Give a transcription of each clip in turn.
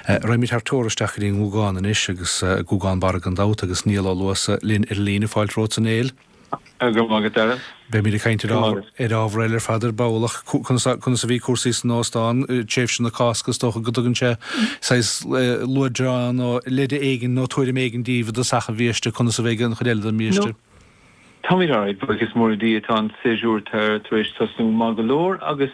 Raghaimid thar teora isteach go dtí an nGúgán anois agus Gúgán Barra gan dabht agus Niall Ó Luasa linn ar an líne. Fáilte romhat a Néill. Go raibh maith agat, Darragh. Beimid ag caint ar ábhar eile ar fad ar ball ach conas a bhí cúrsaí san óstán, tréimhse na Cásca, is dócha go dtugann sé saghas luaidreán nó leide éigin nó tuairim éigin daoibh i dtosach an bhiaiste conas a bheidh an chuid eile den mbiaiste. Táimid alright, buíochas mór le Dia, tá an séasúr tar éis tosnú maith go leor agus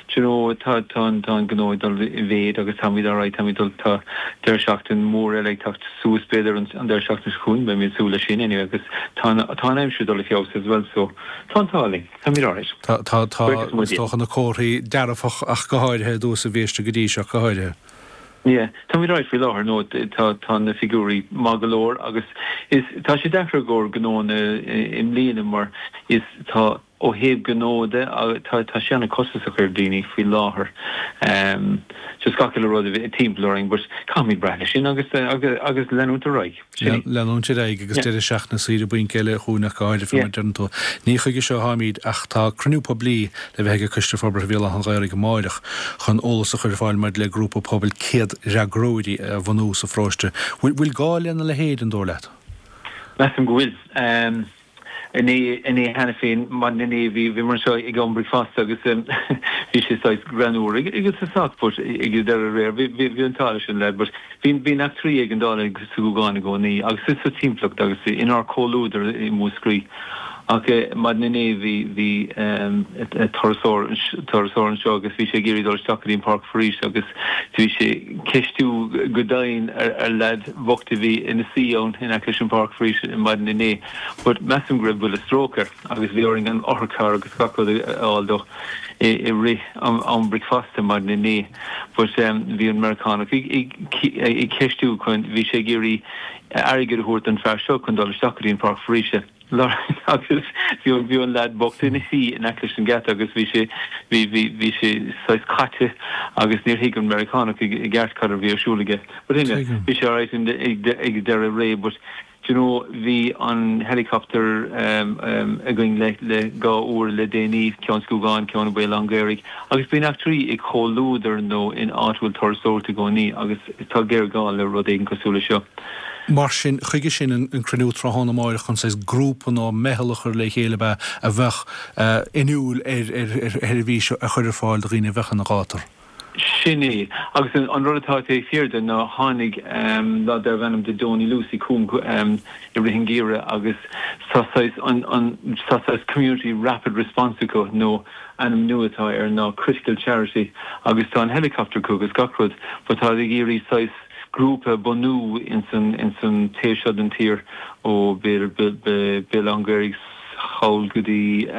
do you know tá tá an tá an gnó ag dul i mhéid agus táimid alright, táimid dul tá deireadh seachtain mór eile ag teacht suas b'fhéidir an an deireadh seachtaine seo chugainn, beimid ag súil leis sin anyway agus tá an tá an aimsir ag dul i feabhas as well so tá an t-ádh linn, táimid alright. Tá tá tá is dócha na comharthaí dearfach ach go háirithe i dtús an bhiaiste go dtí seo go háirithe. Yeah, táimid alright faoi láthair, no tá tá na figiúirí maith go leor agus is tá sé deacair i gcomhair gnóanna i mbliana mar is tá ó thaobh gnó de tá tá sé an-costasach ar daoine faoi láthair just gach uile rud timpeall orainn but caithfimid brath leis sin agus agus agus leanúint ar aghaidh. Sin é. Leanúint ar aghaidh agus deireadh seachtaine saoire bainc eile chugainn ach go háirithe mar a deireann tú. Ní chuige seo atáimid ach tá cruinniú poiblí le bheith ag Coiste Forbartha Bhéal Átha an Ghaorthaidh amáireach chun eolas a chur ar fáil maidir le grúpa pobail céad fhreagróirí a bhunú sa pharóiste. Bhfuil gá lena leithéid, an dóigh leat? Measaim go bhfuil. Inné, inné cheana féin, maidin inné, bhí, bhíomar anseo ag am bricfeasta agus bhí sé saghas greannmhar ag, ag tosach but ag an deireadh aréir bhí, bhí, bhí an t-ádh leis an leaid but bhí, bíonn eachtraí éigeandála sa Ghúgán i gcónaí agus sa, sa timpeallacht agus inár comhluadar i Múscraí. Ach maidin inné bhí, bhí turasóir, turasóir anseo agus bhí sé ag iarraidh dul isteach go dtí an páirc foraoise agus bhí sé ceistiú go dian ar, ar leaid bhocht a bhí ina suí ann in aice leis an bpáirc foraoise maidin inné but measaim go raibh buille stróc air agus bhí orainn an otharcharr agus gach rud a fháil dó i rith am bricfeasta maidin inné but bhí an Meiriceánach ag ceistiú chun bhí sé ag iarraidh airgead a thabhairt don fear seo chun dul isteach go dtí an pháirc foraoise. Agus bhí an, bhí an leaid bocht ina shuí in aice leis an geata agus bhí sé, bhí, bhí, bhí sé saghas caite agus níor thuig an Meiriceánach i gceart cad a bhí ar siúl aige. But anyway, bhí sé alright ag deireadh ré but do you know bhí an helicopter againn le, le 2 uair le déanaí, ceann sa Ghúgán, ceann i Béal Átha an Ghaorthaidh agus bíonn eachtraí ag comhluadar nó in áit a bhfuil turasóireacht i gcónaí agus tá géarghá le rud éigin cosúil le seo. Mar sin, chuige sin an cruinniú tráthnóna amáireach chun saghas grúpa nó meitheal a chur le chéile ab ea a bheadh inniúil ar sheirbhís a chur ar fáil do dhaoine a bheadh ina ghátar. Sin é. Agus an rud atá taobh thiar de ná tháinig leaid darbh ainm do Donie Lucey chugam i rith an gheimhridh agus tá saghas an tá saghas community rapid response acu nó ainm nua atá air ná critical charity agus tá an helicopter acu agus gach rud but tá ag iarraidh saghas grúpa a bhunú ins an ins an taobh seo den tír ó b'fhéidir Béal Átha an Ghaorthaidh thall go dtí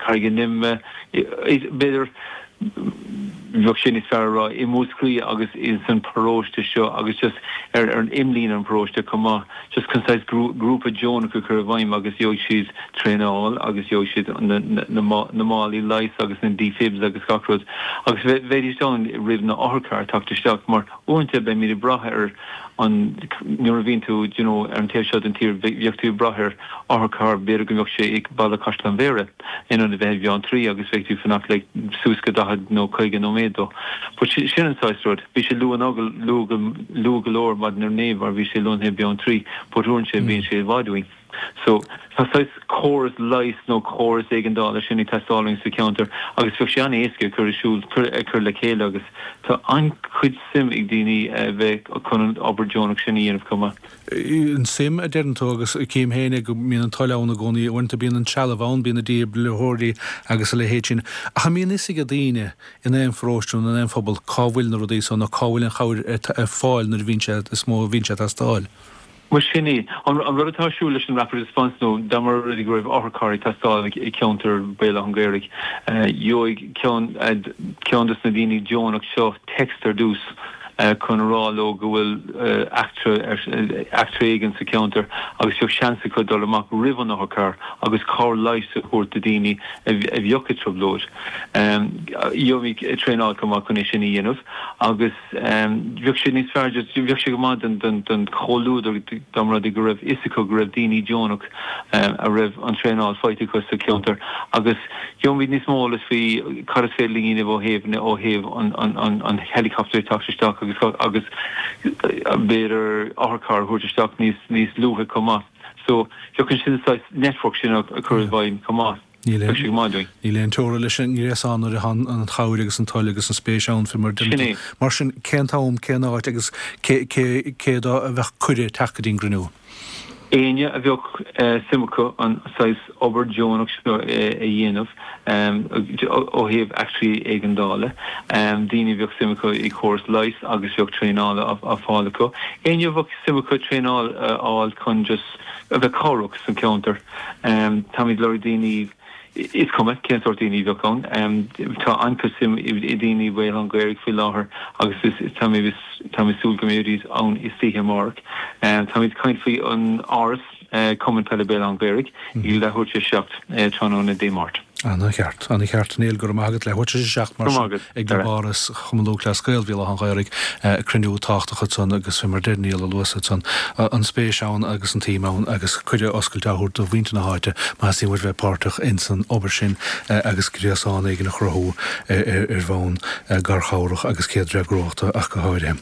Carraig an Ime, b'fhéidir bheadh sé níos fearr a rá i Múscraí agus ins an paróiste seo agus just ar ar an imlíne an paróiste chomh maith just chun saghas grúpa deonach a chur i bhfeidhm agus gheobhaidh siad traenáil agus gheobhaidh siad na na na málaí leighis agus na defibs agus gach rud agus bheidís ann roimh na otharchairr teacht isteach mar Uaireanta beimid ag brath ar an, nuair a bhíonn tú, d'you know, ar an taobh seo den tír, bheadh tú ag brath ar otharcharr, b'fhéidir go mbeadh sé ag Baile Chaisleán Bhéarra in ionad a bheith i mBeanntraí agus bheadh tú ag fanacht like suas go 40 nó 50 nóiméad dó. But sin an saghas rud. Bhí sé luath, luath, luath go leor maidin inné mar bhí sé lonnaithe i Beanntraí but uaireanta bíonn sé i bhfad uainn. So, tá saghas córas leighis nó córas éigeandála sin ag teastáil uainn sa cheantar agus bheadh sé an-éasca a chur ar siúl, a chur le chéile agus tá an-chuid suim ag daoine a bheith chun an obair deonach sin a dhéanamh chomh maith. An suim a deireann tú agus cím féin é go mbíonn an toil ann i gcónaí, uaireanta bíonn an trealamh ann, bíonn na dífhibrileoirí agus a leithéid sin, ach an mbíonn fhios ag daoine in aon pharóiste nó in aon phobal cá bhfuil na rudaí so nó cá bhfuil an chabhair ar fáil nuair a bhíonn sé, is mó a bhíonn sé ag teastáil? Bhuel, sin é. An rud atá ar siúl leis an Rapid Response nó dá mba rud é go raibh otharcharr ag teastáil i gceantar Bhéal Átha an Ghaorthaidh, gheobhaidh ceann ceann dos na daoine deonach seo text ar dtús chun a rá leo go bhfuil eachtra eachtra éigin sa cheantar agus bheadh seans acu dul amach roimh an otharcharr agus cabhair leighis a thabhairt do daoine a bheadh i dtrioblóid. Gheobhaimid traenáil chomh maith chun é sin a dhéanamh agus. Bheadh sé níos fearr, bheadh sé go maith don chomhluadar dá mba rud é go raibh fhios acu go raibh daoine deonach a raibh an traenáil faighte acu sa cheantar agus gheobhaimid níos mó eolas faoi cad is féidir linn a dhéanamh ó thaobh ó thaobh an helicopter ag teacht isteach agus. agus agus b'fhéidir otharcharr a thabhairt isteach níos níos luaithe chomh maith. So bheadh an sin saghas network sin a chur i bhfeidhm chomh maith. Níl aon, Bheadh sé go maith dúinn. Níl aon teora leis an ngréasán nuair atá an chabhair agus an toil agus an spéis ann, fé mar a Sin é. Mar sin, cén t-am, cén áit agus cé, cé, cé dó a bheadh cuireadh teacht go dtí an gcruinniú? Éinne a bheadh suim acu an saghas obair deonach seo a dhéanamh ó thaobh eachtraí éigeandála, daoine a bheadh suim acu i córas leighis agus bheadh traenáil á fáil acu, éinne a bheadh suim acu traenáil a fháil chun just a bheith cabhrach san cheantar. Táimid ag lorg daoine. Is cuma cén sórt daoine a bheadh ann. Tá an-chuid suim i daoine i Béal Átha an Ghaorthaidh faoi láthair agus táimid ag súil go mbeidís ann istoíche amárach. Táimid ag caint faoi an Áras, Cumann Peile Béal Átha an Ghaorthaidh, ag leathuair tar éis 7 tráthnóna Dé Máirt. Ana-cheart. Ana-cheart. Niall, go raibh maith agat. Leathuair tar éis 7 mar sin ag Club Áras Chumann Lúthchleas Gael Bhéal Átha an Ghaorthaidh, cruinniú tábhachtach ansan agus fé mar deir Niall a luas ansan, an spéis ann agus an tsuim ann agus cuireadh oscailte á thabhairt do mhuintir na háite más suim leo bheith páirteach ins an obair sin agus gréasán éigin a chruthú ar bhonn garchabhrach agus céadfhreagróireachta ach go háirithe.